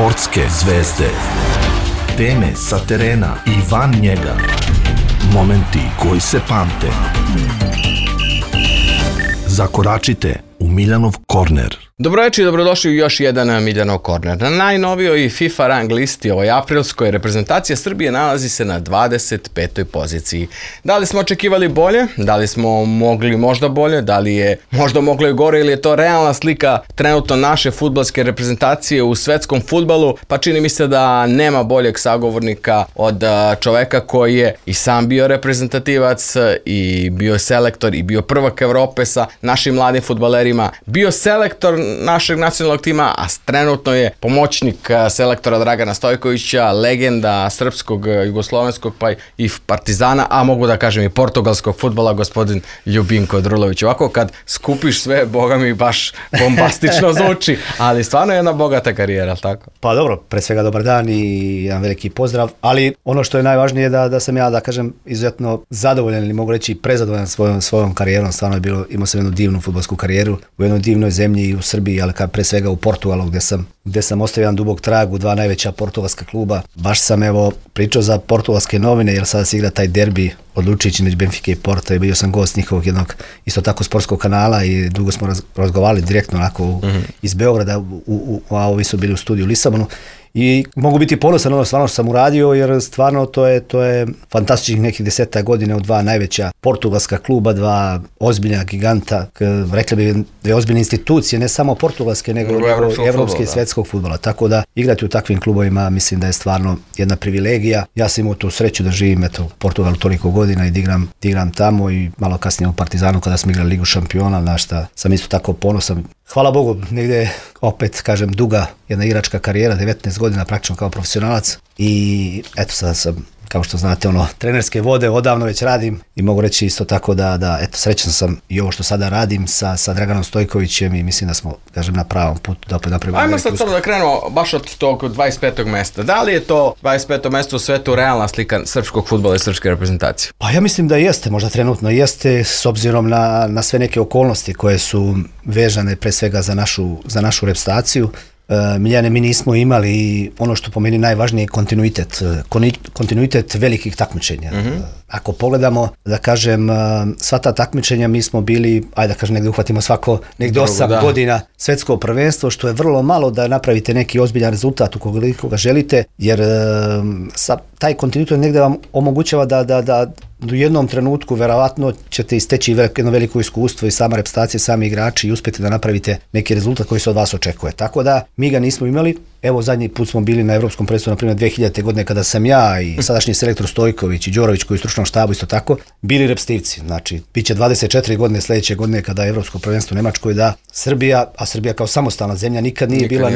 Sportske zvezde. Teme sa terena i van njega. Momenti koji se pamte. Zakoračite u Miljanov korner. Dobroveče i dobrodošli u još jedan Miljanov korner. Na najnovijoj FIFA rang listi ovoj aprilskoj reprezentacija Srbije nalazi se na 25. poziciji. Da li smo očekivali bolje? Da li smo mogli možda bolje? Da li je možda moglo i gore ili je to realna slika trenutno naše fudbalske reprezentacije u svetskom fudbalu? Pa čini mi se da nema boljeg sagovornika od čoveka koji je i sam bio reprezentativac i bio selektor i bio prvak Evrope sa našim mladim fudbalerima, bio selektor našeg nacionalnog tima, a trenutno je pomoćnik selektora Dragana Stojkovića, legenda srpskog, jugoslovenskog pa i Partizana, a mogu da kažem i portugalskog fudbala, gospodin Ljubinko Drulović. Ovako kad skupiš sve, boga mi baš bombastično zvuči, ali stvarno je jedna bogata karijera, tako? Pa dobro, pre svega dobar dan i jedan veliki pozdrav, ali ono što je najvažnije je da sam ja, da kažem, izuzetno zadovoljan ili mogu reći prezadovoljan svojom karijerom. Stvarno je bilo, imao sam jednu divnu fudbalsku karijeru u jednoj divnoj zemlji i u Srbiji, ali pre svega u Portugalu gde sam ostavio jedan dubok trag u dva najveća portugalska kluba. Baš sam pričao za portugalske novine jer sada se igra taj derbi odlučujući među Benfica i Porto i bio sam gost njihovog jednog isto tako sportskog kanala i dugo smo razgovarali direktno onako iz Beograda, a ovi su bili u studiju u Lisabonu. I mogu biti ponosan ono stvarno što sam uradio jer stvarno to je fantastičnih nekih 10 godina u dva najveća portugalska kluba, dva ozbiljna giganta, rekli bi dve ozbiljne institucije, ne samo portugalske nego evropske i svetskog fudbala. Tako da igrati u takvim klubovima mislim da je stvarno jedna privilegija. Ja sam imao tu sreću da živim u Portugalu toliko godina i da igram tamo i malo kasnije u Partizanu kada smo igrali Ligu šampiona, na šta sam isto tako ponosan. Hvala Bogu, negdje opet kažem duga jedna igračka karijera, 19 godina praktično kao profesionalac i eto sada sam, kao što znate, trenerske vode odavno već radim i mogu reći isto tako da eto, srećan sam i ovo što sada radim sa Draganom Stojkovićem i mislim da smo, kažem, na pravom putu da opet napravimo. Ajmo sad da krenemo baš od tog 25. mesta. Da li je to 25. mesto u svetu realna slika srpskog fudbala i srpske reprezentacije? Pa ja mislim da jeste, možda trenutno jeste s obzirom na sve neke okolnosti koje su vežane pre svega za našu reprezentaciju. Miljane, mi nismo imali ono što po meni najvažnije je kontinuitet velikih takmičenja. Ako pogledamo, da kažem, sva ta takmičenja mi smo bili, ajde da kažem, negdje uhvatimo svako negdje 8 godina svetsko prvenstvo, što je vrlo malo da napravite neki ozbiljan rezultat ukoliko ga želite, jer taj kontinuitet negdje vam omogućava da u jednom trenutku verovatno ćete isteći jedno veliko iskustvo i sama reprezentacija, sami igrači i uspjeti da napravite neki rezultat koji se od vas očekuje. Tako da mi ga nismo imali. Evo zadnji put smo bili na Evropskom prvenstvu, na primjer 2000. godine kada sam ja i sadašnji selektor Stojković i Đorović koji je u stručnom štabu isto tako bili reprezentativci. Znači, bit će 24 godine sljedeće godine kada je Evropsko prvenstvo u Nemačkoj da Srbija kao samostalna zemlja nikad nije bila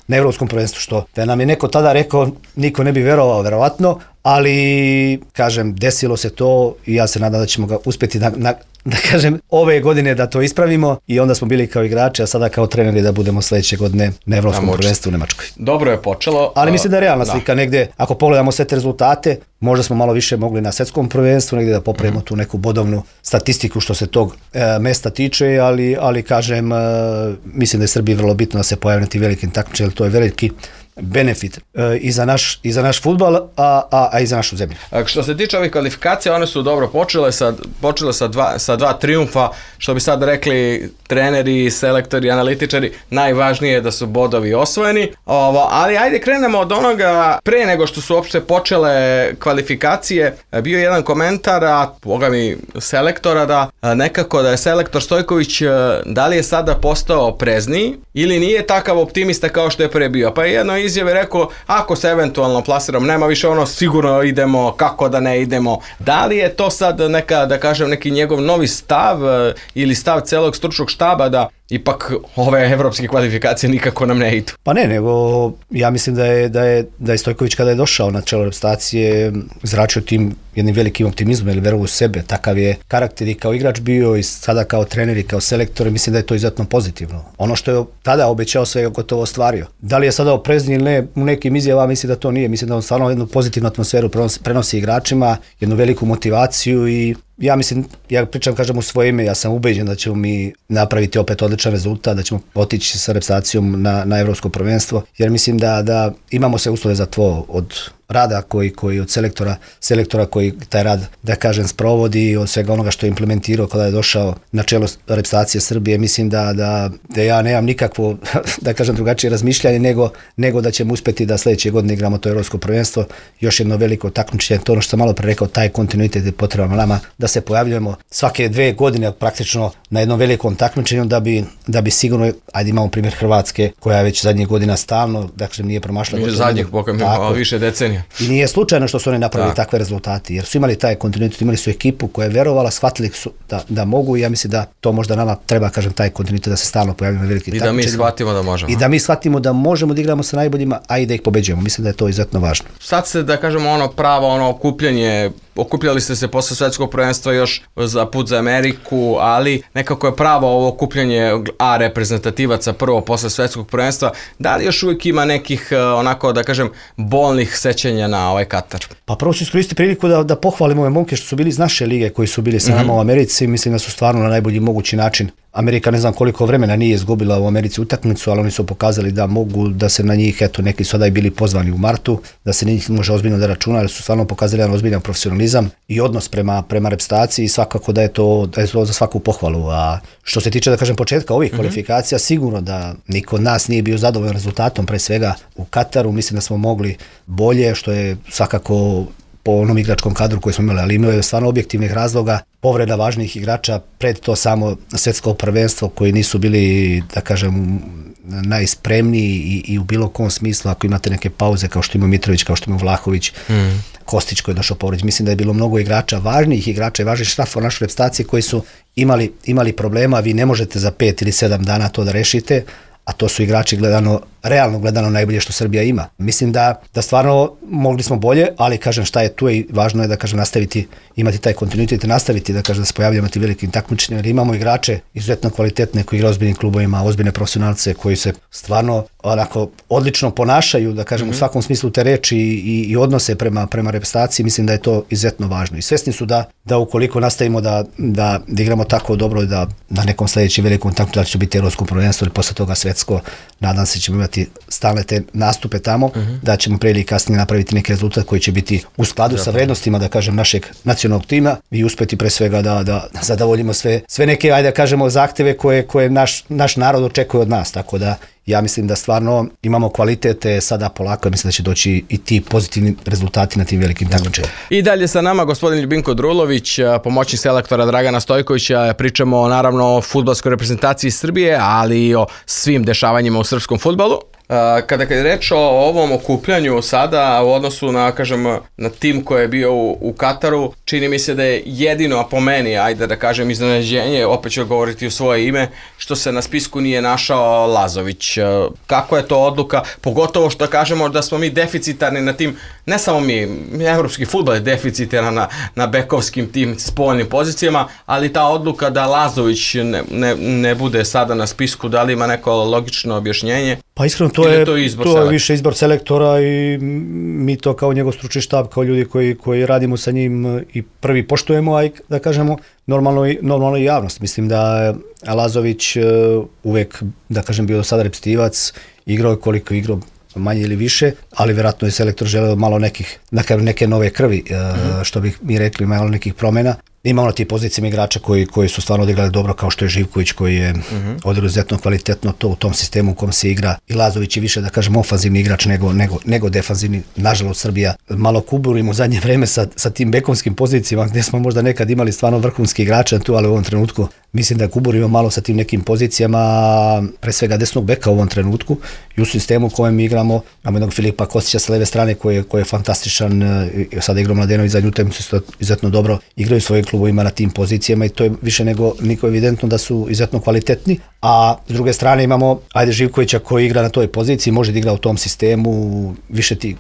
na Evropskom prvenstvu, što da nam je neko tada rekao, niko ne bi verovao verovatno, ali kažem, desilo se to i ja se nadam da ćemo ga uspjeti da kažem, ove godine da to ispravimo i onda smo bili kao igrači, a sada kao treneri da budemo sljedeće godine na Evropskom prvenstvu u Nemačkoj. Dobro je počelo. Ali mislim da je realna slika negdje, ako pogledamo sve te rezultate, možda smo malo više mogli na svetskom prvenstvu negdje da popravimo tu neku bodovnu statistiku što se tog mesta tiče, ali kažem, mislim da je Srbiji vrlo bitno da se pojave na ti velikim takmičenjima, jer to je veliki benefit i za naš fudbal, a i za našu zemlju. Što se tiče ovih kvalifikacija, one su dobro počele sa dva triumfa, što bi sad rekli treneri, selektori, analitičari, najvažnije je da su bodovi osvojeni. Ali ajde krenemo od onoga, pre nego što su uopšte počele kvalifikacije, bio je jedan komentar, a boga mi selektora, da nekako da je selektor Stojković, da li je sada postao prezniji ili nije takav optimista kao što je pre bio. Pa je jedno izjave rekao, ako se eventualno plasiramo, nema više sigurno idemo, kako da ne idemo. Da li je to sad neki njegov novi stav ili stav celog stručnog štaba da ipak ove evropske kvalifikacije nikako nam ne idu? Pa ne, nego ja mislim da je Stojković kada je došao na čelo reprezentacije zračio tim jednim velikim optimizmom ili veru u sebe. Takav je karakter i kao igrač bio i sada kao trener i kao selektor, mislim da je to izuzetno pozitivno. Ono što je tada obećao sve je gotovo ostvario. Da li je sada oprezniji ili ne, u nekim izjavama mislim da to nije. Mislim da on stvarno jednu pozitivnu atmosferu prenosi igračima, jednu veliku motivaciju i ja mislim, ja pričam, kažem u svoje ime, ja sam ubeđen da ćemo mi napraviti opet odličan rezultat, da ćemo otići sa reprezentacijom na evropsko prvenstvo, jer mislim da imamo sve uslove za to od rada koji od selektora koji taj rad, da kažem, sprovodi, od svega onoga što je implementirao kada je došao na čelo reprezentacije Srbije. Mislim da ja nemam nikakvo, da kažem, drugačije razmišljanje nego da ćemo uspjeti da sljedeće godine igramo to evropsko prvenstvo. Još jedno veliko takmičenje, to ono što sam malo pre rekao, taj kontinuitet je potreban nama, da se pojavljujemo svake 2 godine praktično na jednom velikom takmičenju da bi sigurno, ajde imamo primjer Hrvatske koja je već zadnjih godina stalno, da kažem, nije promašila. Zadnjih više decenija. I nije slučajno što su oni napravili takve rezultate, jer su imali taj kontinuitet, imali su ekipu koja je verovala, shvatili su da mogu, i ja mislim da to možda nama treba, kažem, taj kontinuitet da se stalno pojavljamo na veliki takmičenja. I da mi shvatimo da možemo. I da mi shvatimo da možemo da igramo sa najboljima, a i da ih pobeđujemo. Mislim da je to izuzetno važno. Sad se, da kažemo, pravo okupljanje, okupljali ste se posle svetskog prvenstva još za put za Ameriku, ali nekako je pravo ovo okupljanje reprezentativaca prvo posle svetskog prvenstva. Da li još uvijek ima nekih, onako da kažem, bolnih sećanja na ovaj Katar? Pa prvo ću iskoristiti priliku da pohvalim ove momke što su bili iz naše lige, koji su bili sa nama u Americi. Mislim da su stvarno na najbolji mogući način. Amerika ne znam koliko vremena nije izgubila u Americi utakmicu, ali oni su pokazali da mogu, da se na njih, eto, neki su i bili pozvani u martu, da se njih može ozbiljno da računa, jer su stvarno pokazali jedan ozbiljan profesionalizam i odnos prema reprezentaciji, i svakako da je to za svaku pohvalu. A što se tiče, da kažem, početka ovih kvalifikacija, sigurno da niko od nas nije bio zadovoljan rezultatom, pre svega u Kataru. Mislim da smo mogli bolje, što je svakako po onom igračkom kadru koji smo imali, ali imao je stvarno objektivnih razloga, povreda važnih igrača pred to samo svjetsko prvenstvo, koji nisu bili, da kažem, najspremniji i u bilo kom smislu. Ako imate neke pauze kao što ima Mitrović, kao što ima Vlahović, Kostić koji je došao povređen, mislim da je bilo mnogo igrača, važnih igrača i važnih štafova u našoj reprezentaciji koji su imali problema. Vi ne možete za 5 ili 7 dana to da rešite, a to su igrači realno gledano najbolje što Srbija ima. Mislim da stvarno mogli smo bolje, ali kažem, šta je tu, i važno je da kažem nastaviti, imati taj kontinuitet i nastaviti, da kažem, da se pojavljamo ti velikim takmičenjima, jer imamo igrače izuzetno kvalitetne koji igraju ozbiljnim klubovima, ozbiljne profesionalce koji se stvarno onako odlično ponašaju, da kažem, u svakom smislu te reči i odnose prema reprezentaciji. Mislim da je to izuzetno važno. I svesni su da ukoliko nastavimo da igramo tako dobro, da na nekom sljedećem velikom takmičenju, da će biti evropsko prvenstvo ili posle toga svetsko, nadam se ćemo imati stalne te nastupe tamo, da ćemo pre ili kasnije napraviti neki rezultat koji će biti u skladu sa vrednostima, da kažem, našeg nacionalnog tima, i uspeti pre svega da zadovoljimo sve neke, ajde da kažemo, zahteve koje naš narod očekuje od nas. Tako da ja mislim da stvarno imamo kvalitete sada polako, mislim da će doći i ti pozitivni rezultati na tim velikim takmičenjima. I dalje sa nama gospodin Ljubinko Drulović, pomoćnik selektora Dragana Stojkovića. Pričamo naravno o fudbalskoj reprezentaciji Srbije, ali i o svim dešavanjima u srpskom fudbalu. Kada je reč o ovom okupljanju sada u odnosu na tim koji je bio u Kataru, čini mi se da je jedino, a po meni, ajde da kažem, iznenađenje, opet ću govoriti u svoje ime, što se na spisku nije našao Lazović. Kako je to odluka, pogotovo što kažemo da smo mi deficitarni na tim, ne samo mi, evropski fudbal je deficitaran na bekovskim tim spoljnim pozicijama, ali ta odluka da Lazović ne bude sada na spisku, da li ima neko logično objašnjenje? Pa iskreno, to je više izbor selektora, i mi to kao njegov stručni štab, kao ljudi koji radimo sa njim, i prvi poštujemo, a i, da kažemo, normalno i javnost. Mislim da je Lazović uvek, da kažem, bio do sada reprezentativac, igrao koliko igrao, manje ili više, ali vjerojatno je selektor želeo malo neke nove krvi, što bih mi rekli, malo nekih promjena. Imamo na ti pozicijama igrača koji su stvarno odigrali dobro, kao što je Živković, koji je odigrao izuzetno kvalitetno to u tom sistemu u kom se igra, i Lazović je više, da kažem, ofanzivni igrač nego defanzivni. Nažalost, Srbija malo kuburimo u zadnje vreme sa tim bekovskim pozicijama, gdje smo možda nekad imali stvarno vrhunski igrača tu, ali u ovom trenutku mislim da kuburimo malo sa tim nekim pozicijama, pre svega desnog beka u ovom trenutku, i u sistemu u kojem igramo. Imamo jednog Filipa Kostića sa leve strane koji je fantastičan, sada igrao Mladenović zadnju utakmicu izuzetno dobro, igraju svojim klubovima na tim pozicijama, i to je više nego niko evidentno da su izuzetno kvalitetni. A s druge strane imamo Živkovića koji igra na toj poziciji, može da igra u tom sistemu,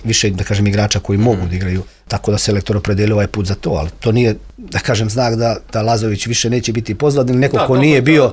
više da kažem igrača koji mogu da igraju, tako da selektor opredelio ovaj put za to, ali to nije, da kažem, znak da Lazović više neće biti pozvan, ili neko ko nije bio,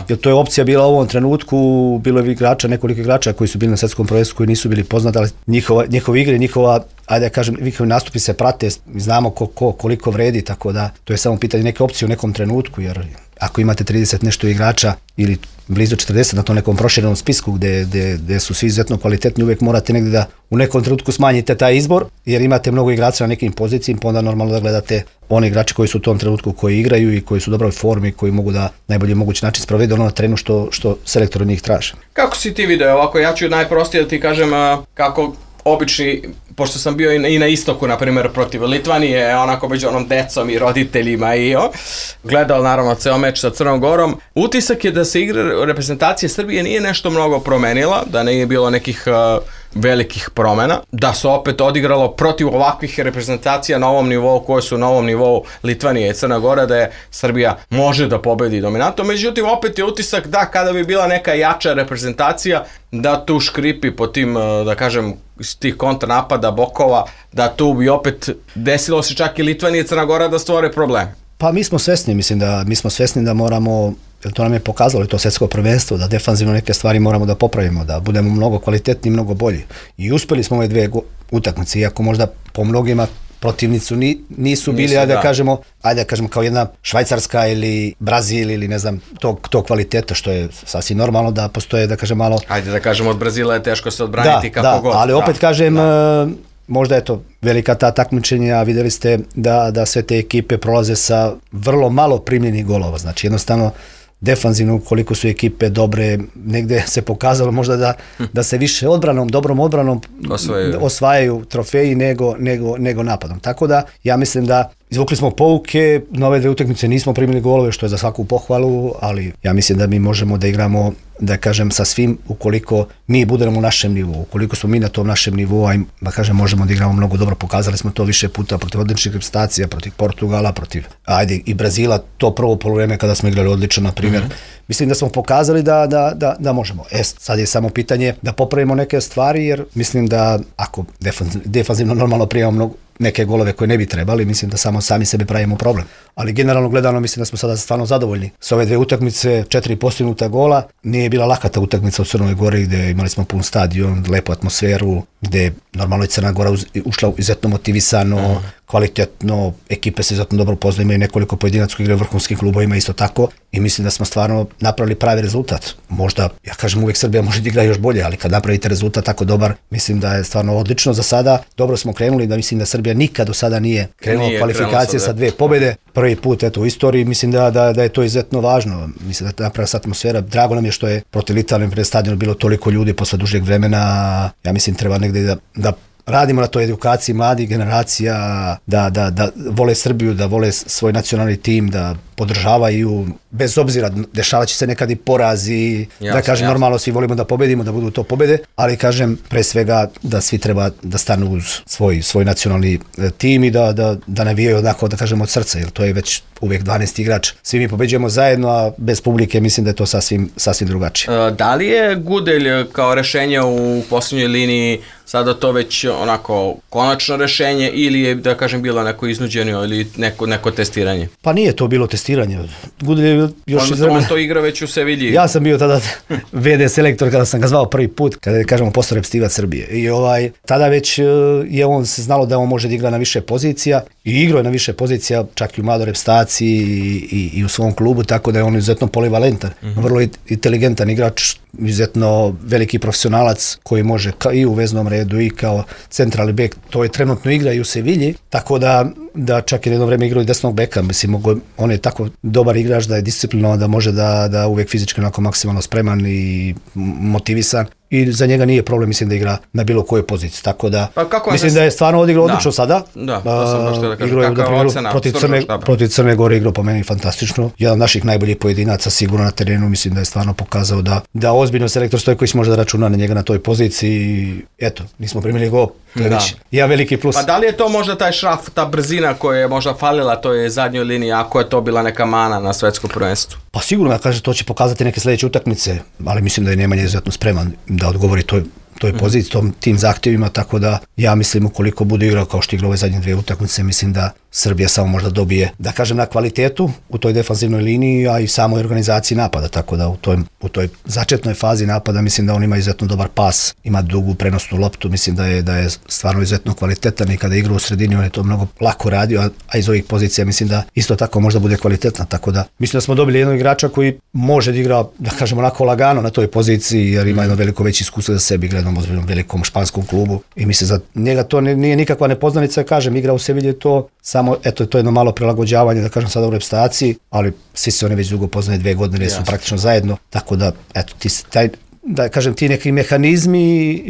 jer to je opcija bila u ovom trenutku. Bilo je nekoliko igrača koji su bili na svjetskom prvenstvu koji nisu bili poznati, ali njihova igra, njihova ajde da kažem, njihovi nastupi se prate, znamo koliko vredi, tako da to je samo pitanje neke opcije u nekom trenutku, jer ako imate 30 nešto igrača ili blizu 40 na tom nekom proširenom spisku gdje su svi izuzetno kvalitetni, uvijek morate negdje da u nekom trenutku smanjite taj izbor, jer imate mnogo igrača na nekim pozicijama, pa onda normalno da gledate one igrače koji su u tom trenutku koji igraju i koji su u dobroj formi, koji mogu da najbolji mogući način sprovedu ono na terenu što selektor od njih traži. Kako si ti video ovako? Ja ću najprostije da ti kažem kako obični, pošto sam bio i na istoku, na primjer, protiv Litvanije, onako među onom decom i roditeljima i gledao naravno ceo meč sa Crnom Gorom. Utisak je da se igra reprezentacije Srbije nije nešto mnogo promenila, da nije bilo nekih velikih promjena, da se opet odigralo protiv ovakvih reprezentacija na ovom nivou, koje su na ovom nivou Litvanije i Crna Gora, da je Srbija može da pobedi dominantno. Međutim, opet je utisak da kada bi bila neka jača reprezentacija, da tu škripi po tim, da kažem, tih kontranapada, bokova, da tu bi opet desilo se čak i Litvanija i Crna Gora da stvore problem. Pa mi smo svesni da moramo, jer to nam je pokazalo i to svjetsko prvenstvo, da defanzivno neke stvari moramo da popravimo, da budemo mnogo kvalitetni i mnogo bolji. I uspjeli smo ove dvije utakmice, iako možda po mnogima protivnicu nisu bili, ajde da kažemo kao jedna Švajcarska ili Brazil ili ne znam, tog kvaliteta, što je sasvim normalno da postoje, da kažem malo... Ajde da kažemo, od Brazila je teško se odbraniti kako god. Ali opet kažem, možda je to velika ta takmičenja, a vidjeli ste da sve te ekipe prolaze sa vrlo malo primljenih golova, znači jednostavno defanzivno, koliko su ekipe dobre, negdje se pokazalo možda da se više dobrom odbranom osvajaju trofeji nego napadom. Tako da ja mislim da izvukli smo pouke, na ove dve utakmice nismo primili golove, što je za svaku pohvalu, ali ja mislim da mi možemo da igramo, da kažem, sa svim ukoliko mi budemo u našem nivou, ukoliko smo mi na tom našem nivou, a da kažem, možemo da igramo mnogo dobro, pokazali smo to više puta protiv odličnih reprezentacija, protiv Portugala, protiv i Brazila, to prvo poluvreme kada smo igrali odlično, na primjer. Mislim da smo pokazali da možemo. Sad je samo pitanje da popravimo neke stvari, jer mislim da ako defanzivno normalno primamo neke golove koje ne bi trebali, mislim da samo sami sebi pravimo problem. Ali generalno gledano mislim da smo sada stvarno zadovoljni. S ove dve utakmice, 4 postignuta gola, nije bila laka ta utakmica u Crnoj Gori, gdje imali smo pun stadion, lepu atmosferu, gdje normalno je Crna Gora ušla izuzetno motivisano, kvalitetno, ekipe se izuzetno dobro poznaju, imaju nekoliko pojedinaca koji igraju u vrhunskim klubovima isto tako i mislim da smo stvarno napravili pravi rezultat. Možda, ja kažem, uvijek Srbija može da igra još bolje, ali kad napravite rezultat tako dobar, mislim da je stvarno odlično za sada. Dobro smo krenuli, da mislim da Srbija nikad do sada nije krenula kvalifikacije sa 2 pobjede. Prvi put u istoriji, mislim da je to izuzetno važno. Mislim da je napravila se atmosfera. Drago nam je što je protiv Litvanije pred stadionom bilo toliko ljudi posle dužeg vremena. Ja mislim treba negdje da radimo na toj edukaciji mladih generacija, da vole Srbiju, da vole svoj nacionalni tim, da podržavaju, bez obzira, dešavat će se nekad i porazi, da kažem, normalno svi volimo da pobedimo, da budu to pobede, ali kažem, pre svega da svi treba da stanu uz svoj nacionalni tim i da navijaju onako, da kažem, od srca, jer to je već uvijek 12 igrač. Svi mi pobeđujemo zajedno, a bez publike mislim da je to sasvim drugačije. Da li je Gudelj kao rešenje u posljednjoj liniji sada to već onako konačno rešenje ili je, da kažem, bilo neko iznuđeno ili neko testiranje? Pa nije to bilo testiranje. Gudelj je još on to igra već u Sevilji. Ja sam bio tada VD selektor kada sam ga zvao prvi put, kada je, kažemo, postao reprezentativac Srbije. I tada već je on se znalo da on može da igra na više pozicija i igrao je na više pozicija, čak i u mladoj reprezentaciji i u svom klubu, tako da je on izuzetno polivalentan, vrlo inteligentan igrač, izuzetno veliki profesionalac koji može i u veznom redu i kao centralni bek, to je trenutno igra i u Sevilji, tako da čak i jedno vreme igrao i desnog beka, mislim, on je tako dobar igrač da je disciplinovan, da može da uvijek fizički onako maksimalno spreman i motivisan. I za njega nije problem, mislim, da igra na bilo kojoj poziciji, tako da mislim da je stvarno odigrao odlično sada. Da, to sam baš da kažem, kakva je ocena? Protiv Crne Gore igrao po meni fantastično. Jedan od naših najboljih pojedinaca sigurno na terenu, mislim da je stvarno pokazao da ozbiljno selektor Stojković može da računa na njega na toj poziciji. Eto, nismo primili go, to je već jedan veliki plus. Pa da li je to možda taj šraf, ta brzina koja je možda falila toj zadnjoj liniji, ako je to bila neka mana na svetskom prvenstvu? Pa sigurno, kaže, to će pokazati neke sljedeće utakmice, ali mislim da je Nemanja izuzetno spreman da odgovori toj poziciji, tim zahtjevima, tako da ja mislim ukoliko bude igrao kao što igra ove zadnje 2 utakmice, mislim da Srbija samo možda dobije, da kažem, na kvalitetu u toj defanzivnoj liniji, a i samoj organizaciji napada, tako da u toj začetnoj fazi napada mislim da on ima izuzetno dobar pas, ima dugu prenosnu loptu, mislim da je stvarno izuzetno kvalitetan i kada igra u sredini on je to mnogo lako radio, a iz ovih pozicija mislim da isto tako možda bude kvalitetna, tako da mislim da smo dobili jednog igrača koji može da igra, da kažemo, onako lagano na toj poziciji jer ima jedno veliko veće iskustvo za sebi, igra jednom ozbiljnom velikom španskom klubu i mislim za njega to nije nikakva nepoznanica, kažem, igra u Sevilji to samo, eto, to je jedno malo prilagođavanje, da kažem, sada u reprezentaciji, ali svi se oni već dugo poznaju 2 godine, su praktično zajedno, tako da, eto, da kažem, ti neki mehanizmi,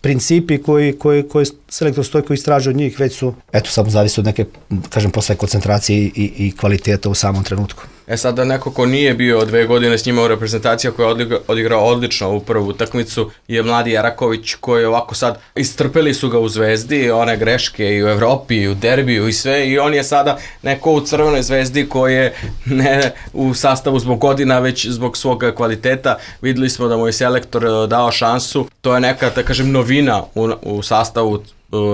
principi koji selektor Stojko istraži od njih već su, eto, samo zavisi od neke, kažem, posle koncentracije i kvaliteta u samom trenutku. Sada neko ko nije bio 2 godine s njima u reprezentaciji, koji je odigrao odlično u prvu utakmicu, je mladi Jaraković, koji ovako sad istrpeli su ga u Zvezdi, one greške i u Evropi, i u derbiju i sve, i on je sada neko u Crvenoj Zvezdi koji je ne u sastavu zbog godina, već zbog svog kvaliteta. Videli smo da mu je selektor dao šansu, to je neka, da kažem, novina u sastavu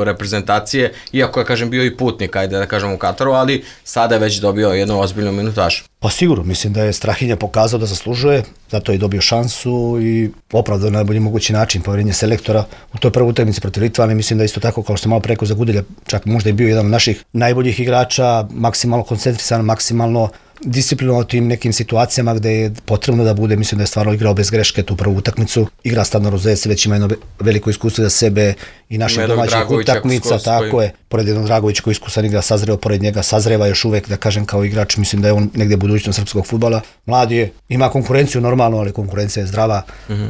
reprezentacije, iako je, kažem, bio i putnik, ajde da kažem, u Kataru, ali sada je već dobio jednu ozbiljnu minutažu. Pa sigurno, mislim da je Strahinja pokazao da zaslužuje, zato je dobio šansu i opravdao na najbolji mogući način poverenje selektora u toj prvoj utakmici protiv Litvane. Mislim da isto tako, kao što malo preko za Gudelja, čak možda je bio jedan od naših najboljih igrača, maksimalno koncentrisan, maksimalno disciplinovao tim nekim situacijama gde je potrebno da bude, mislim da je stvarno igrao bez greške tu prvu utakmicu. Igra Stadno Rozec, već ima jedno veliko iskustvo za sebe i naših domaćih utakmica, tako je. Pored jednog Dragovića koji iskusan igra, sazreo pored njega, sazreva još uvek, da kažem, kao igrač, mislim da je on negde budućnost srpskog fudbala. Mladi je, ima konkurenciju normalno, ali konkurencija je zdrava,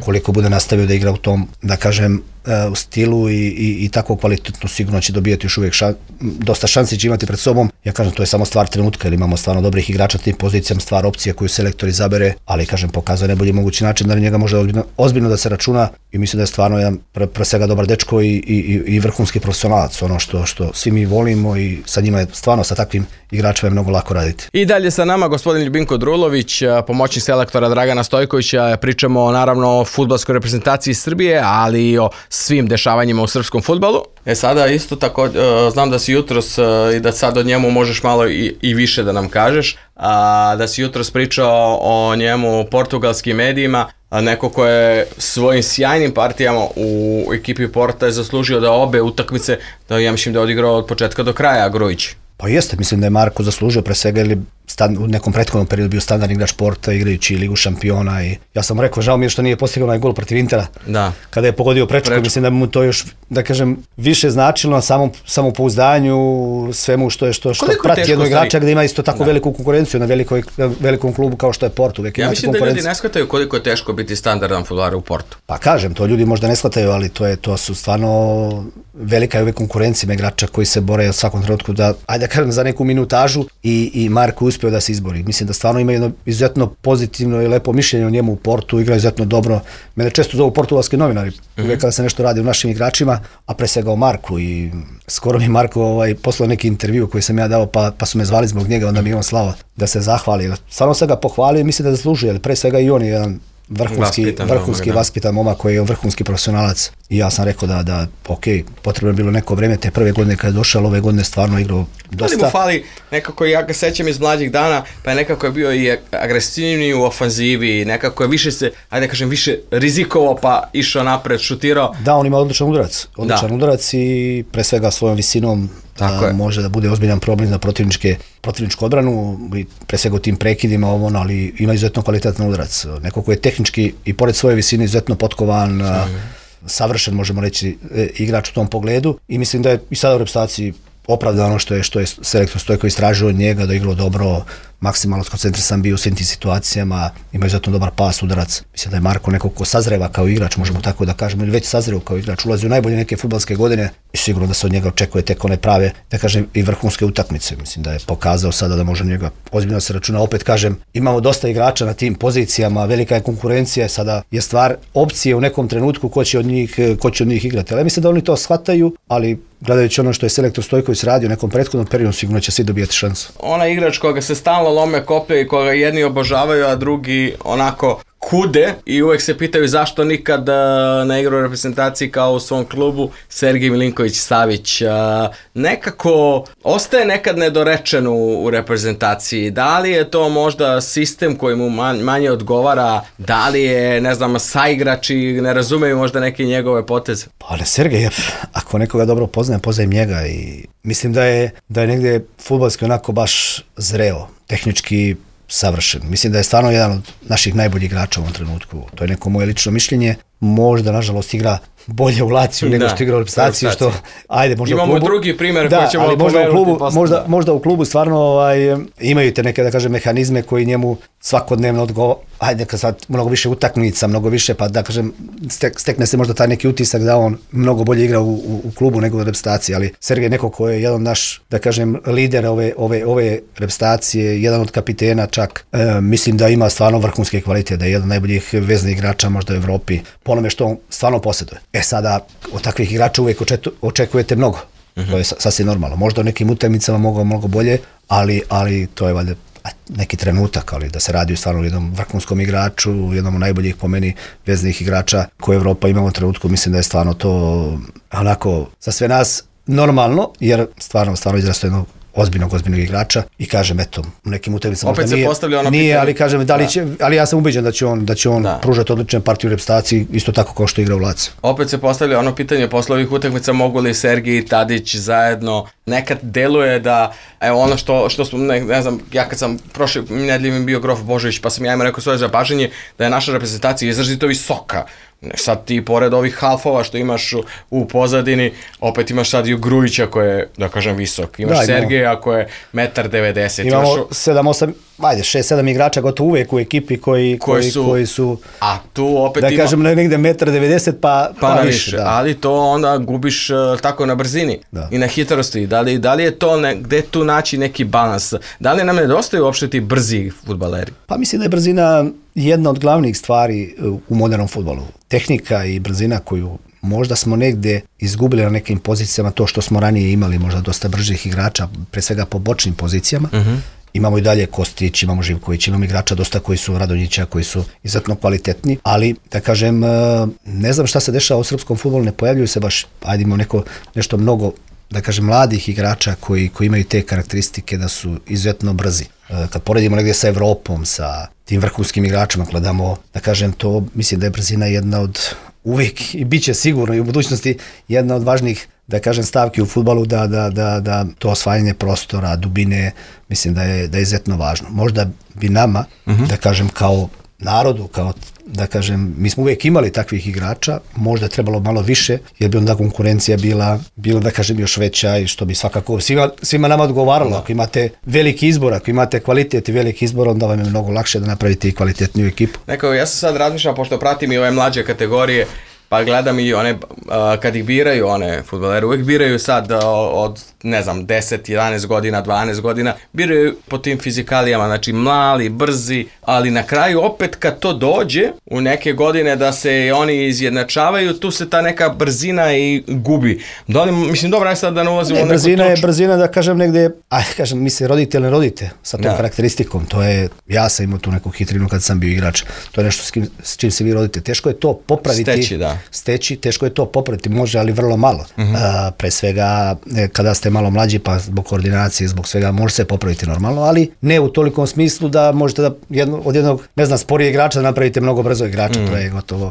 koliko bude nastavio da igra u tom, da kažem, u stilu i tako kvalitetno, sigurno će dobijati još uvijek dosta šansi će imati pred sobom. Ja kažem, to je samo stvar trenutka, jer imamo stvarno dobrih igrača na tim pozicijama, stvar opcija koju selektor izabere, ali kažem, pokazuje najbolji mogući način da na njega može ozbiljno da se računa i mislim da je stvarno jedan pre svega dobar dečko i vrhunski profesionalac, ono što svi mi volimo i sa njima je stvarno, sa takvim igračima je mnogo lako raditi. I dalje sa nama gospodin Ljubinko Drulović, pomoćnik selektora Dragana Stojkovića. Pričamo naravno o fudbalskoj reprezentaciji Srbije, ali i o svim dešavanjima u srpskom fudbalu. Sada isto tako, znam da si jutros i da sad o njemu možeš malo i više da nam kažeš, da si jutros pričao o njemu u portugalskim medijima, neko ko je svojim sjajnim partijama u ekipi Porta je zaslužio da obe utakmice, da ja mislim da je odigrao od početka do kraja Grujić. Pa jeste, mislim da je Marko zaslužio pre svega, ili u nekom prethodnom periodu bio standardni igrač Porta, igrajući Ligu šampiona, i ja sam mu rekao, žao mi je što nije postigao onaj gol protiv Intera, kada je pogodio prečku, mislim da mu to još, da kažem, više značilo na samopouzdanju, svemu što prati jednog igrača gde ima isto tako veliku konkurenciju na velikom klubu kao što je Porto. Ja mislim da ljudi ne shvataju koliko je teško biti standardan fudbaler u Portu. Pa kažem, to ljudi možda ne shvataju, ali to su stvarno velika je ove konkurencija igrača koji se bore u svakom trenutku da, ajde da kažem, za neku minutažu i Marko uspeo da se izbori. Mislim da stvarno ima jedno izuzetno pozitivno i lepo mišljenje o njemu u Portu, igra izuzetno dobro. Mene često zovu portugalski novinari, uvijek kada se nešto radi o našim igračima, a pre svega o Marku, i skoro mi Marko poslao neki intervju koji sam ja dao, pa su me zvali zbog njega, onda mi on slao da se zahvali. Stvarno sam ga pohvalio i mislim da zaslužuje, ali pre svega i on je jedan vrhunski vaspitan momak koji je vrhunski profesionalac, i ja sam rekao da ok, potrebno je bilo neko vreme te prve godine kada je došao, ove godine stvarno igrao dosta. Ali mu fali nekako, ja ga sećam iz mlađih dana, pa je nekako je bio i agresivniji u ofanzivi, nekako je više se, ajde da kažem, više rizikovao, pa išao napred, šutirao. Da, on ima odličan udarac i pre svega svojom visinom može da bude ozbiljan problem za protivničku odbranu, pre svega u tim prekidima, ali ima izuzetno kvalitetan udarac. Neko ko je tehnički i pored svoje visine izuzetno potkovan, savršen, možemo reći, igrač u tom pogledu, i mislim da je i sada u reprezentaciji opravdano što je selektor Stojko istražio od njega, da je igrao dobro, maksimalno skoncentrisan bio u svim tim situacijama, ima izuzetno dobar pas, udarac. Mislim da je Marko neko ko sazreva kao igrač, možemo tako da kažemo, ili već sazreo kao igrač, ulazi u najbolje neke fudbalske godine i sigurno da se od njega očekuje tek one prave, da kažem, i vrhunske utakmice. Mislim da je pokazao sada da može njega ozbiljno se računa. Opet kažem, imamo dosta igrača na tim pozicijama, velika je konkurencija, sada je stvar opcije u nekom trenutku ko će od njih igrati. Ali mislim da oni to shvataju, ali gledajući ono što je selektor Stojković radio u nekom prethodnom periodu, sigurno će svi dobijati šansu. Ona igrač koga se stalno lome koplje i koga jedni obožavaju, a drugi onako kude i uvek se pitaju zašto nikad ne igra u reprezentaciji kao u svom klubu. Sergej Milinković-Savić nekako ostaje nekad nedorečen u reprezentaciji. Da li je to možda sistem koji mu manje odgovara, da li je, ne znam, saigrači ne razumeju možda neke njegove poteze? Pa ne, Sergej, ako nekoga dobro poznajem njega i mislim da je negdje fudbalski onako baš zreo, tehnički savršen. Mislim da je stvarno jedan od naših najboljih igrača u ovom trenutku. To je neko moje lično mišljenje. Možda, nažalost, igra bolje u Laciju nego što igra u reprezentaciji, što ajde, možda imamo u klubu, drugi primjer da, koji ćemo ali možda u klubu stvarno imaju te neke, da kažem, mehanizme koji njemu svakodnevno ajde, kad sad mnogo više utakmica, mnogo više, pa da kažem, stekne se možda taj neki utisak da on mnogo bolje igra u klubu nego u reprezentaciji, ali Sergej neko ko je jedan naš, da kažem, lider ove reprezentacije, jedan od kapitena čak, mislim da ima stvarno vrhunske kvalitete, da je jedan od najboljih veznih igrača možda u Evropi, po onome što on stvarno posjeduje. Sada od takvih igrača uvijek očekujete mnogo. To je sasvim normalno. Možda u nekim utakmicama mogu mnogo bolje, ali to je valjda neki trenutak, ali da se radi stvarno o jednom vrhunskom igraču, jednom od najboljih po meni veznih igrača koje Evropa ima u trenutku, mislim da je stvarno to onako za sve nas normalno, jer stvarno izrasto jednog ozbiljnog igrača i kažem, eto, u nekim utakmicama možda nije, ali kažem, ali ja sam ubeđen da će on pružati odličnu partiju u reprezentaciji, isto tako kao što igra u Laciju. Opet se postavlja ono pitanje posle ovih utakmica, mogu li Sergej i Tadić zajedno, nekad deluje da, evo ono što smo, ne znam, ja kad sam prošle nedelje mi bio Grof Božović, pa sam ja ima rekao svoje zapažanje da je naša reprezentacija izrazito visoka. Sad ti pored ovih halfova što imaš u pozadini, opet imaš sad i Grujića koji je, da kažem, visok. Imaš Sergeja koji je 1,90 m. Imamo 7-8, 6-7 igrača gotovo uvijek u ekipi koji su, a tu opet da kažem, negdje 1,90 m pa više. Da. Ali to onda gubiš tako na brzini i na hitrosti. Da li je to, gde tu naći neki balans? Da li nam nedostaju uopšte ti brzi fudbaleri? Pa mislim da je brzina jedna od glavnih stvari u modernom fudbalu. Tehnika i brzina koju možda smo negdje izgubili na nekim pozicijama, to što smo ranije imali možda dosta bržih igrača, pre svega po bočnim pozicijama. Imamo i dalje Kostić, imamo Živković, imamo igrača dosta koji su Radonjića, koji su izuzetno kvalitetni, ali da kažem, ne znam šta se dešava u srpskom fudbalu, ne pojavljuju se baš, ajde imamo nešto mnogo, da kažem, mladih igrača koji imaju te karakteristike da su izuzetno brzi. Kad poredimo negdje sa Evropom, sa tim vrhunskim igračima, gledamo, da kažem, to mislim da je brzina jedna od uvijek i bit će sigurno i u budućnosti jedna od važnijih, da kažem, stavki u fudbalu, da to osvajanje prostora, dubine, mislim da je izuzetno važno. Možda bi nama, da kažem, kao narodu, kao, da kažem, mi smo uvijek imali takvih igrača, možda je trebalo malo više, jer bi onda konkurencija bila, da kažem, još veća i što bi svakako svima nama odgovaralo. Ako imate veliki izbor, ako imate kvalitet i veliki izbor, onda vam je mnogo lakše da napravite i kvalitetniju ekipu. Ja sam sad razmišljam, pošto pratim i ove mlađe kategorije, pa gledam i one, kad ih biraju one fudbalere, uvijek biraju sad od, ne znam, 10, 11 godina, 12 godina, biraju po tim fizikalijama, znači mali, brzi, ali na kraju opet kad to dođe u neke godine da se oni izjednačavaju, tu se ta neka brzina i gubi. Mislim, dobro, sad da ne ulazimo u neku točku. Brzina, da kažem, negdje, mi se rodite ili ne rodite sa tom karakteristikom, to je, ja sam imao tu neku hitrinu kad sam bio igrač, to je nešto s čim se vi rodite. Teško je to popraviti. Steći, teško je to popraviti, može, ali vrlo malo. Pre svega, kada ste malo mlađi, pa zbog koordinacije, zbog svega, može se popraviti normalno, ali ne u tolikom smislu da možete da od jednog, ne znam, sporije igrača da napravite mnogo brzo igrača, to je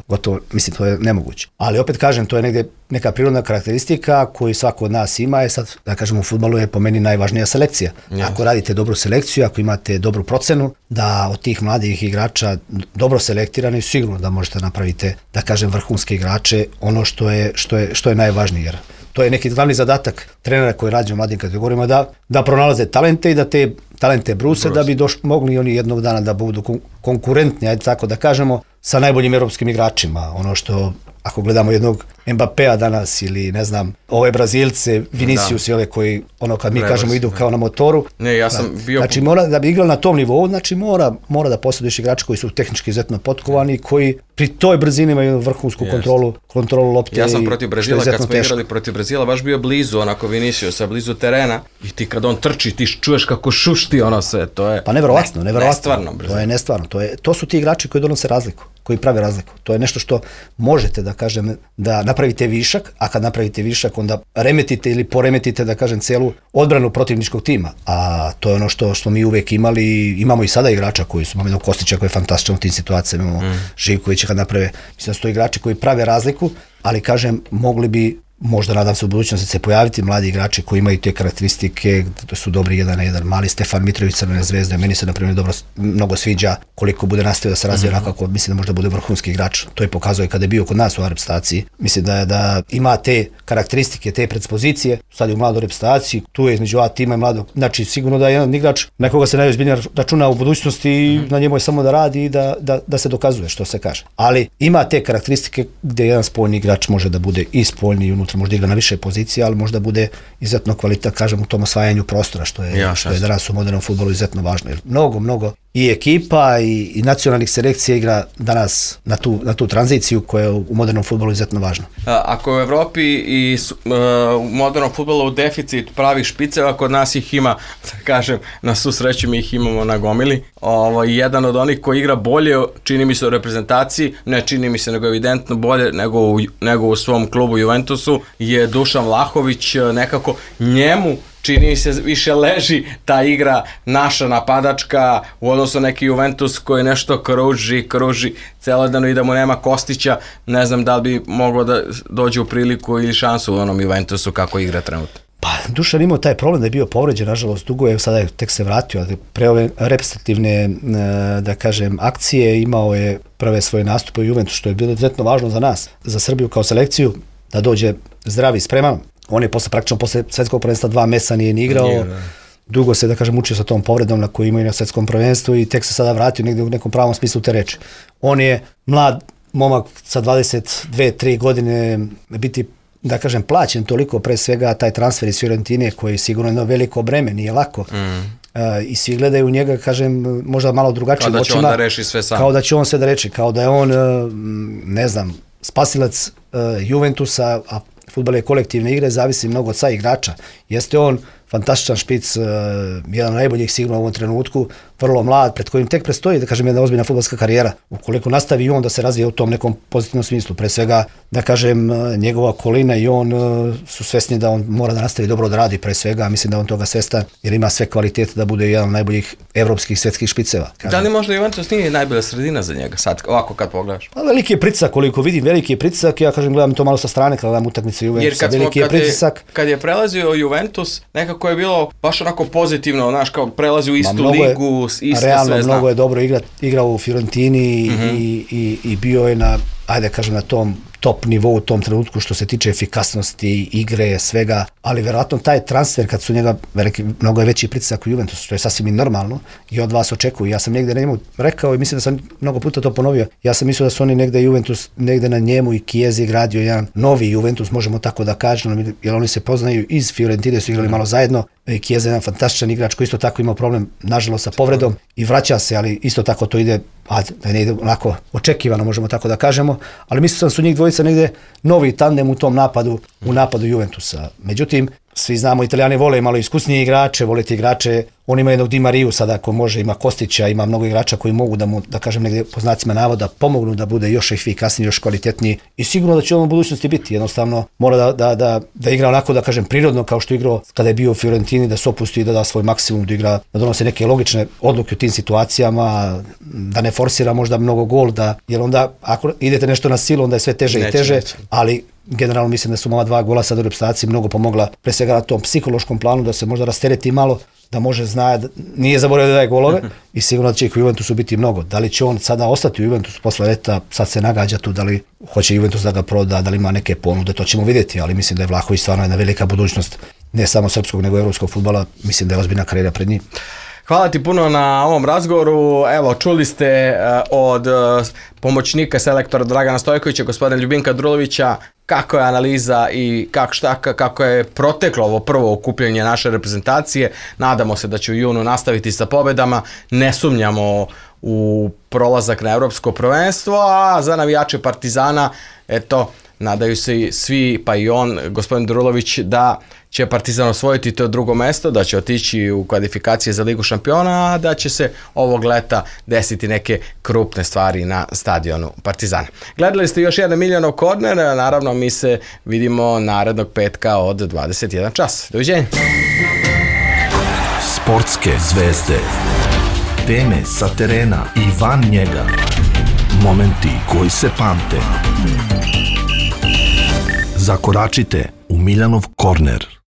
gotovo, mislim, to je nemoguće. Ali opet kažem, to je negdje neka prirodna karakteristika koju svako od nas ima, je sad, da kažem, u fudbalu je po meni najvažnija selekcija. Ako radite dobru selekciju, ako imate dobru procenu, da od tih mladih igrača dobro selektirani, sigurno da možete napraviti, da kažem, vrhunske igrače, ono što je najvažnije, jer to je neki glavni zadatak trenera koji radi u mladim kategorijama, da pronalaze talente i da te talente bruse, da bi mogli oni jednog dana da budu konkurentni, ajde tako da kažemo, sa najboljim europskim igračima. Ono što ako gledamo jednog Mbappéa danas ili ne znam, ove Brazilce, Vinicius i ove koji, kad mi kažemo idu kao na motoru. Ne, ja sam bio... Znači da bi igrali na tom nivou, znači mora da posjeduješ igrače koji su tehnički izuzetno potkovani i koji pri toj brzini imaju vrhunsku kontrolu lopte. Ja sam protiv Brazila, kad smo igrali protiv Brazila, baš bio blizu, onako Viniciusa, blizu terena i ti kad on trči, ti čuješ kako šušti ono sve, to je... Pa neverovatno. Nestvarno. To je nestvarno. To su ti igrači koji donose razliku, koji prave razliku. To je nešto što možete da kažem, da napravite višak, a kad napravite višak onda remetite ili poremetite, da kažem, celu odbranu protivničkog tima. A to je ono što smo mi uvek imali, imamo i sada igrača koji su, imamo jednog Kostića koji je fantastičan u tim situacijama, imamo Živkovića kad naprave, mislim da su to igrači koji prave razliku, ali kažem, mogli bi, možda nadam se u budućnosti se pojaviti mladi igrači koji imaju te karakteristike, da su dobri 1-1. Mali Stefan Mitrović, Crvene Zvezde, meni se na primjer mnogo sviđa, koliko bude nastavio da se razvija onako, mislim da možda bude vrhunski igrač. To je pokazuje kada je bio kod nas u reprezentaciji. Mislim da ima te karakteristike, te predispozicije, sad je u mladoj reprezentaciji, tu je između A tima i mladog. Znači sigurno da je jedan igrač na koga se najozbiljnije računa u budućnosti i na njemu je samo da radi i da se dokazuje, što se kaže. Ali ima te karakteristike gdje jedan spoljni igrač može da bude i spoljni i unutra, možda igra na više pozicije, ali možda bude izuzetno kvalitet, kažem, u tom osvajanju prostora, što je danas u modernom fudbalu izuzetno važno. Jer mnogo i ekipa i nacionalnih selekcija igra danas na tu tranziciju koja je u modernom fudbalu izuzetno važna. Ako u Evropi i u modernom fudbalu u deficit pravih špiceva, kod nas ih ima, da kažem, na svu sreću mi ih imamo na gomili. Jedan od onih koji igra bolje, čini mi se u reprezentaciji, ne čini mi se nego evidentno bolje nego u svom klubu Juventusu, je Dušan Vlahović. Nekako njemu čini se više leži ta igra naša napadačka u odnosu neki Juventus koji nešto kruži celo dano i da mu nema Kostića, ne znam da li bi moglo da dođe u priliku ili šansu u onom Juventusu kako igra trenutno. Pa Dušan imao taj problem da je bio povređen, nažalost dugo je, sada je tek se vratio, ali pre ove reprezentativne, da kažem, akcije imao je prve svoje nastupe u Juventusu, što je bilo izuzetno važno za nas, za Srbiju kao selekciju, da dođe zdrav i spreman. On je praktično posle svetskog prvenstva 2 meseca nije ni igrao, dugo se, da kažem, mučio sa tom povredom na koju imaju na svetskom prvenstvu i tek se sada vratio negdje u nekom pravom smislu te reči. On je mlad momak sa 22-3 godine, biti, da kažem, plaćen toliko, pre svega taj transfer iz Fiorentine koji je sigurno jedno veliko breme, nije lako. I svi gledaju u njega, kažem, možda malo drugačijim očima. Kao da će on da reši sve sam. Kao da će on sve da reči, kao da je on, ne znam, spasilac Juventusa, a fudbal je kolektivne igre, zavisi mnogo od sa igrača. Jeste on fantastičan špic, jedan od najboljih sigurno u ovom trenutku, vrlo mlad, pred kojim tek predstoji, da kažem, jedna ozbiljna fudbalska karijera. Ukoliko nastavi i on da se razvije u tom nekom pozitivnom smislu, pre svega, da kažem, njegova okolina i on su svesni da on mora da nastavi dobro da radi, pre svega, mislim da on toga svestan, jer ima sve kvalitete da bude jedan od najboljih evropskih svetskih špiceva. Da li možda Juventus nije najbolja sredina za njega, sad, ovako kad pogledaš? Pa veliki je pritisak, koliko vidim, veliki je pritisak, ja kažem, gledam to malo sa strane kada gledam utakmice Juventusa, veliki je pritisak. Kad je prelazio Juventus, nekako je bilo baš onako pozitivno, znaš, kao prelazi u istu ligu, isto realno, sve zna. Mnogo je dobro igrao u Fiorentini i bio je na, ajde kažem, na tom top nivou u tom trenutku što se tiče efikasnosti, igre, svega, ali verovatno taj transfer kad su njega mnogo je veći pritisak u Juventusu, što je sasvim i normalno i od vas očekuju. Ja sam negde na njemu rekao i mislim da sam mnogo puta to ponovio. Ja sam mislio da su oni negde Juventus, negde na njemu i Chiesa gradio jedan novi Juventus, možemo tako da kažemo, jer oni se poznaju iz Fiorentine, su igrali malo zajedno. Chiesa je jedan fantastičan igrač koji isto tako imao problem, nažalost, sa povredom i vraća se, ali isto tako to ide, da ne ide onako očekivano, možemo tako da kažemo, ali mislim da su njih dvojica negde novi tandem u tom napadu, u napadu Juventusa. Međutim, svi znamo, Italijani vole malo iskusnije igrače, vole ti igrače, on ima jednog Di Mariju sada ako može, ima Kostića, ima mnogo igrača koji mogu da mu, da kažem negdje po znacima navoda, pomognu da bude još efikasniji, još kvalitetniji i sigurno da će on u budućnosti biti, jednostavno mora da igra onako, da kažem, prirodno kao što je igrao kada je bio u Fiorentini, da se opusti i da da svoj maksimum, da igra, da donose neke logične odluke u tim situacijama, da ne forsira možda mnogo gol, jer onda ako idete nešto na silu, onda je sve teže i teže, ali generalno mislim da su ova 2 gola sad u reprezentaciji mnogo pomogla, pre svega na tom psihološkom planu, da se možda rastereti malo, da može zna, nije zaboravio da daje golove i sigurno da će ih u Juventusu biti mnogo. Da li će on sada ostati u Juventusu posle leta, sad se nagađa tu, da li hoće Juventus da ga proda, da li ima neke ponude, to ćemo vidjeti, ali mislim da je Vlahović stvarno jedna velika budućnost, ne samo srpskog nego evropskog fudbala, mislim da je ozbiljna karijera pred njim. Hvala ti puno na ovom razgovoru. Evo, čuli ste od pomoćnika selektora Dragana Stojkovića, gospodina Ljubinka Drulovića, kako je analiza i kako je proteklo ovo prvo okupljanje naše reprezentacije. Nadamo se da će u junu nastaviti sa pobedama. Ne sumnjamo u prolazak na evropsko prvenstvo, a za navijače Partizana, eto, nadaju se svi, pa i on, gospodin Drulović, da će Partizan osvojiti to drugo mesto, da će otići u kvalifikacije za Ligu šampiona, a da će se ovog leta desiti neke krupne stvari na stadionu Partizana. Gledali ste još jedan Miljanov korner, naravno mi se vidimo narednog petka od 21 čas. Doviđenja. Sportske zvezde. Teme sa terena i van njega. Momenti koji se pamte. Zakoračite u Miljanov korner.